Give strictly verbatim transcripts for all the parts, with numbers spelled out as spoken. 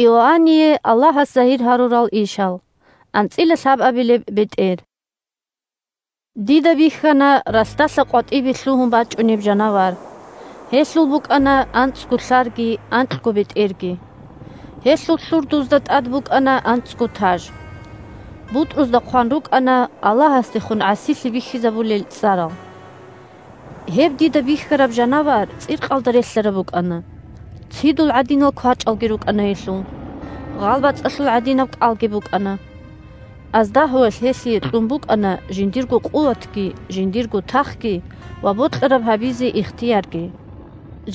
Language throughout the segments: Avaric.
Иоанние Аллагьас загьир гьарурал ишал. АнцӀила лъабабилеб бетӀер. Дида бихьана ралъдалъа къватӀибе лъугьун бачӀунеб жанавар. Гьелъул букӀана анцӀго лъарги анкьго бетӀерги. Гьелъул лъурдузда тӀад букӀана анцӀго таж. БутӀрузда хъван рукӀана Аллагьасдехун гӀасилъи бихьизабулел цӀарал. Гьеб дида бихьараб жанавар цӀикъалда релълъараб букӀана. Цидул гӀадинал квачӀалги рукӀана гьелъул. ГъалбацӀалъул гӀадинаб кӀалги букӀана. Аздагьуялъ гьелъие кьун букӀана жиндирго къуватги, жиндирго тахги ва бокьараб гьабизе ихтиярги.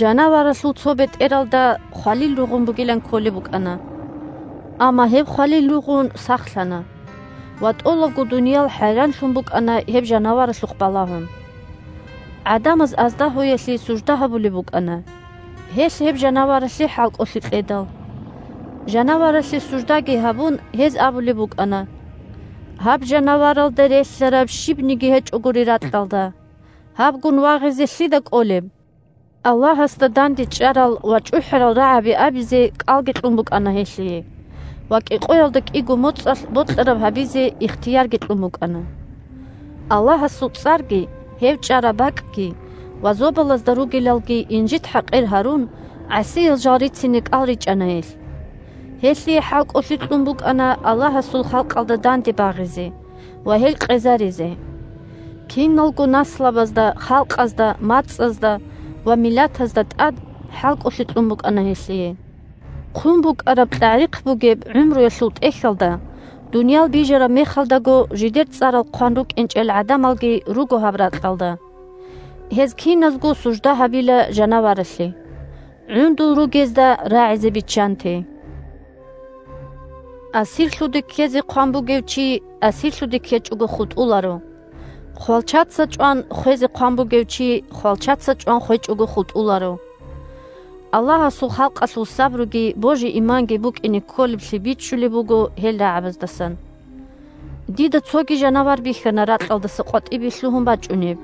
Жанаваралъул цо бетӀералда хвалил ругъун бугилан кколеб букӀана. Амма гьеб хвалил ругъун сахлъана. Ва тӀолабго дуниял хӀайранлъун букӀана гьеб жанаваралъухъ балагьун. ГӀадамаз аздагьуялъе сужда гьабулеб букӀана. Гьелъ гьеб жанаваралъе хӀалкӀолъи кьедал. Жанаваралъе суждаги гьабун, гьез абулеб букӀана: «Гьаб жанаваралда релълъараб щибниги гьечӀогури ракьалда. Гьабгун вагъизе лъида кӀолеб?» Аллагьасда данде чӀарал ва чӀухӀарал рагӀаби абизе кӀалги кьун букӀана гьелъие, ва кӀикъоялда кӀиго моцӀалъ бокьараб гьабизе ихтиярги кьун букӀана. Аллагьасул цӀарги, гьев чӀараб бакӀги ва зобалазда ругелалги инжит-хӀакъир гьарун, гӀасиял жал рицине кӀал ричӀана гьелъ. Гьелъие хӀалкӀолъи кьун букӀана Аллагьасул халкъалда данде багъизе ва гьел къезаризе. Киналго наслабазда, халкъазда, мацӀазда ва миллатазда тӀад хӀалкӀолъи кьун букӀана гьелъие. Хъун букӀараб кьагӀрихъ бугеб гӀумруялъул тӀехьалда, дуниял бижараб мехалдаго жидер цӀарал хъван рукӀинчӀел гӀадамалги руго гьаб ракьалда. Гьез киназго сужда гьабила жанаваралъе. ГӀундул ругезда рагӀизе биччанте. Асирлъуде ккезе хъван бугев чи асирлъуде ккечӀого хутӀуларо. Хвалчаца чӀван хвезе хъван бугев чи хвалчаца чӀван хвечӀого хутӀуларо. Аллагьасул халкъалъул сабруги божи-иманги букӀине кколеблъи бичӀчӀулеб буго гьел рагӀабаздасан. Дида цоги жанавар бихьана ракьалдаса къватӀибе лъугьун бачӀунеб.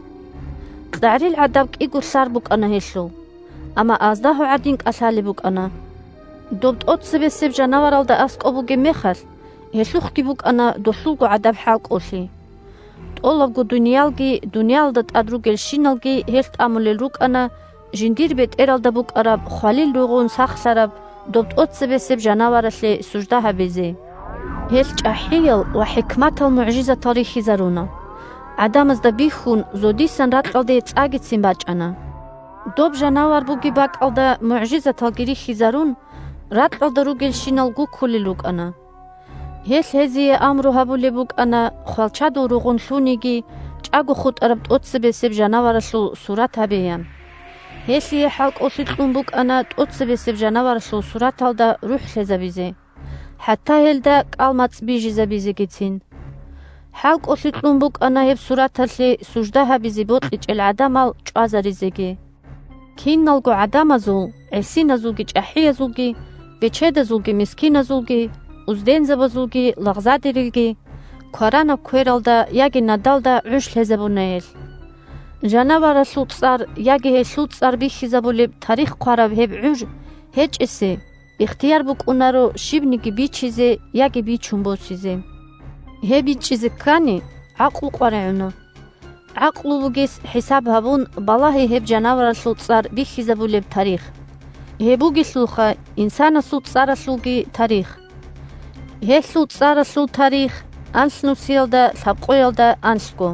КьагӀрил гӀадаб кӀиго лъар букӀана гьелъул, амма аздагьу гӀадин кӀалъалеб букӀана. Доб тӀоцебесеб жанаваралда аскӀоб бугеб мехалъ, гьелъухъги букӀана долъулго гӀадаб хӀалкӀолъи. ТӀолабго дуниялги, дуниялалда тӀад ругелщиналги гьелъ тӀамулел рукӀана жиндир бетӀералда букӀараб хвалил ругъун сахлъараб доб тӀоцебесеб жанаваралъе сужда гьабизе. Гьелъ чӀахӀиял ва хӀикматал мугӀжизатал рихьизаруна. ГӀадамазда бихьун, зодисан ракьалде цӀагицин бачӀана. Доб жанавар бугеб бакӀалда мугӀжизаталги рихьизарун, ракьалда ругелщинал гуккулел рукӀана. Гьелъ гьезие амру гьабулеб букӀана хвалчадул ругъун лъуниги, чӀаго хутӀараб тӀоцебесеб жанаваралъул сурат гьабеян. Гьелъие хӀалкӀолъи кьун букӀана тӀоцебесеб жанаваралъул сураталда рухӀ лъезабизе, хӀатта гьелда кӀал-мацӀ бижизабизегицин. ХӀалкӀолъи кьун букӀана гьеб сураталъе сужда гьабизе бокьичӀел гӀадамал чӀвазаризеги. Киналго гӀадамазул, гӀисиназулги чӀахӀиязулги, бечедазулги мискиназулги, уздензабазулги лагъзадерилги, кваранаб квералда яги надалда гӀуж лъезабуна гьелъ. Жанаваралъул цӀар яги гьелъул цӀар бихьизабулеб тарих хъвараб гьеб гӀуж гьечӀесе ихтияр букӀунаро щибниги бичизе яги бичун босизе. Гьеб бичӀчӀизе ккани, гӀакълу къваригӀуна. ГӀакълу бугес хӀисаб гьабун, балагье гьеб жанаваралъул цӀар бихьизабулеб тарих. Гьеб бугелъулха инсанасул цӀаралъулги тарих. Гьелъул цӀаралъул тарих анлънусиялда лъабкъоялда анлъго.